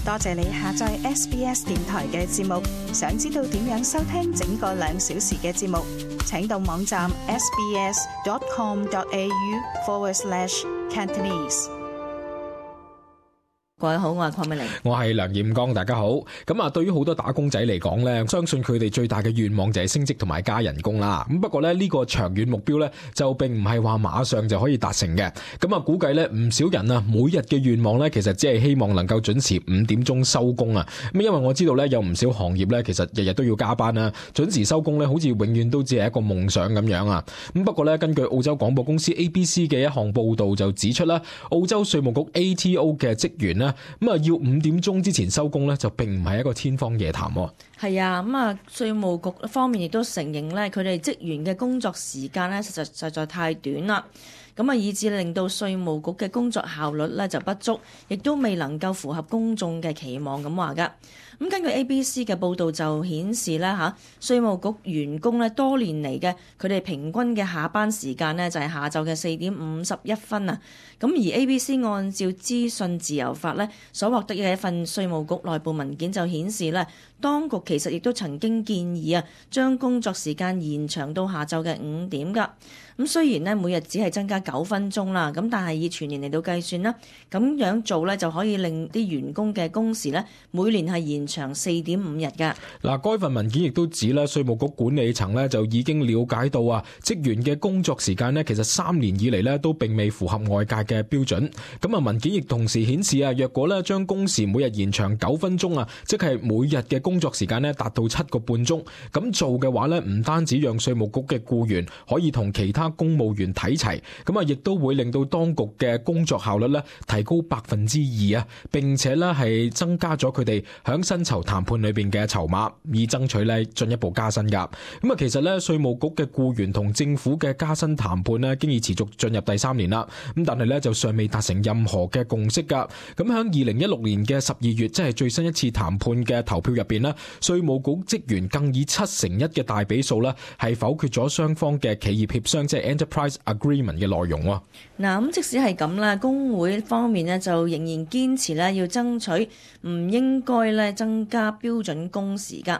多謝你下載 SBS 電台嘅節目。想知道點樣收聽整個2小時嘅節目，請到網站 sbs.com.au/Cantonese。各位好，我係鄺美玲，我係梁艷剛，大家好。咁啊，對於好多打工仔嚟講咧，相信佢哋最大嘅願望就係升職同埋加人工啦。咁不過咧，呢個長遠目標咧就並唔係話馬上就可以達成嘅。咁啊，估計咧唔少人啊，每日嘅願望咧，其實只係希望能夠準時5點鐘收工啊。咁因為我知道咧，有唔少行業咧，其實日日都要加班啊，準時收工咧，好似永遠都只係一個夢想咁樣啊。咁不過咧，根據澳洲廣播公司 ABC 嘅一項報道就指出啦，澳洲稅務局 ATO 嘅職員咧，咁啊要5點鐘之前收工咧，就並唔係一個天方夜譚。係啊，咁啊，稅務局方面亦都承認咧，佢哋職員嘅工作時間咧，實在太短啦。咁啊，以致令到稅務局嘅工作效率咧就不足，亦都未能夠符合公眾嘅期望咁話㗎。咁根據 ABC 嘅報導就顯示咧稅務局員工咧多年嚟嘅佢哋平均嘅下班時間咧就係下晝嘅4點51分啊。咁而 ABC 按照資訊自由法咧所獲得嘅一份稅務局內部文件就顯示咧，當局其實亦都曾經建議將工作時間延長到下晝嘅5點㗎。咁雖然咧每日只係增加9分鐘啦，咁但係以全年嚟到計算啦，咁樣做咧就可以令啲員工嘅工時咧每年係延長4.5日㗎。嗱，該份文件亦都指咧，稅務局管理層咧就已經了解到職員嘅工作時間咧，其實3年以嚟咧都並未符合外界嘅標準。咁啊，文件亦同時顯示若果咧將工時每日延長9分鐘即係每日嘅工作時間咧達到7個半鐘，咁做嘅話咧，唔單止讓稅務局嘅僱員可以同其他公務員睇齊，咁啊，亦都會令到當局嘅工作效率咧提高2%，並且咧係增加咗佢哋響薪酬談判裏邊嘅籌碼，以爭取咧進一步加薪噶。咁啊，其實咧稅務局嘅僱員同政府嘅加薪談判咧，經已持續進入第3年啦。咁但係咧就尚未達成任何嘅共識噶。咁響2016年嘅12月，即係最新一次談判嘅投票入邊咧，稅務局職員更以7-1嘅大比數咧係否決咗雙方嘅企業協商，即係 Enterprise Agreement 嘅內容。嗱，咁即使係咁啦，工會方面呢就仍然堅持咧要爭取唔應該咧增加標準工時㗎。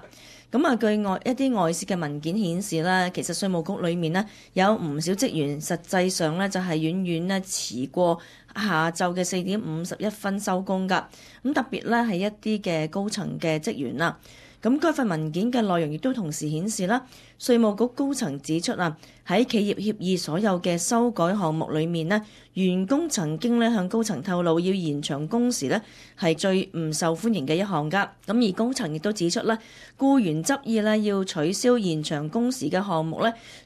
咁啊，據一啲外泄嘅文件顯示咧，其實稅務局裏面呢有唔少職員實際上咧就係遠遠咧遲過下晝嘅4點51分收工㗎。咁特別咧係一啲嘅高層嘅職員啦。咁該份文件嘅內容亦都同時顯示啦，稅務局高層指出喺企業協議所有嘅修改項目裏面呢，員工曾經咧向高層透露要延長工時咧係最唔受歡迎嘅一項㗎。咁而高層亦都指出僱員執意要取消延長工時嘅項目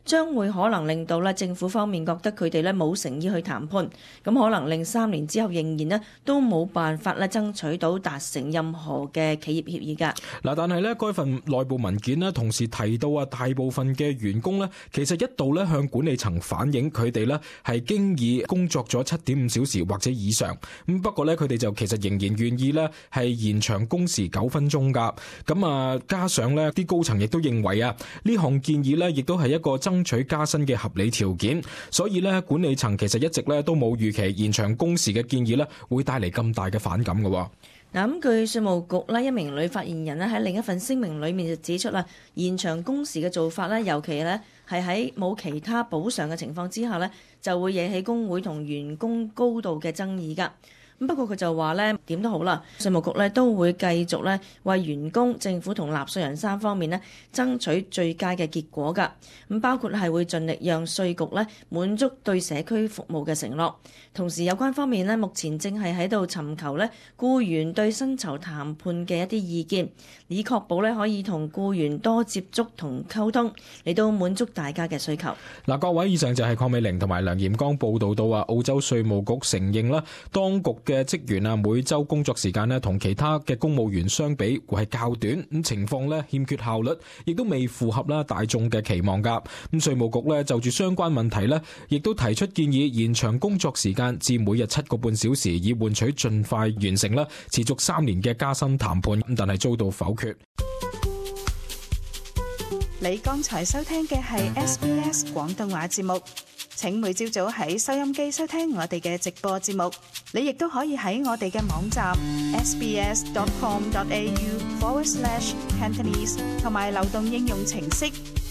將會可能令到政府方面覺得佢哋冇誠意去談判，咁可能令3年之後仍然都冇辦法爭取到達成任何嘅企業協議㗎。嗱，但係咧該份內部文件同時提到大部分嘅員工其實一度向管理層反映佢哋係經已工作咗7.5小時或者以上。咁不過佢哋就其實仍然願意係延長工時9分鐘㗎。咁啊，加上啲高層亦都認為呢項建議亦都係一個爭取加薪嘅合理條件，所以管理層其實一直都冇預期延長工時嘅建議會帶嚟咁大嘅反感嘅。嗱，咁據稅務局一名女發言人喺另一份聲明裏面就指出延長工時嘅做法尤其係喺冇其他補償嘅情況之下就會惹起工會同員工高度嘅爭議㗎。不過佢就話點都好啦，稅務局都會繼續為員工、政府同納稅人3方面爭取最佳嘅結果㗎。咁包括係會盡力讓稅局滿足對社區服務嘅承諾。同時有關方面目前正係喺度尋求僱員對薪酬談判嘅一啲意見，以確保可以同僱員多接觸同溝通，嚟到滿足大家嘅需求。嗱，各位，以上就係鄺美玲同埋梁艷剛報道到澳洲稅務局承認當局嘅職員每週工作時間同其他嘅公務員相比會係較短，咁情況欠缺效率，亦都未符合大眾嘅期望㗎。咁稅務局就住相關問題亦都提出建議延長工作時間至每日7個半小時，以換取盡快完成持續3年嘅加薪談判，但係遭到否決。你剛才收聽嘅係 SBS 廣東話節目。請每朝早喺收音機收聽我哋嘅直播節目。你亦都可以喺我哋嘅網站 sbs.com.au/Cantonese 同埋流動應用程式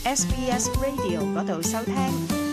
SBS Radio 嗰度收聽。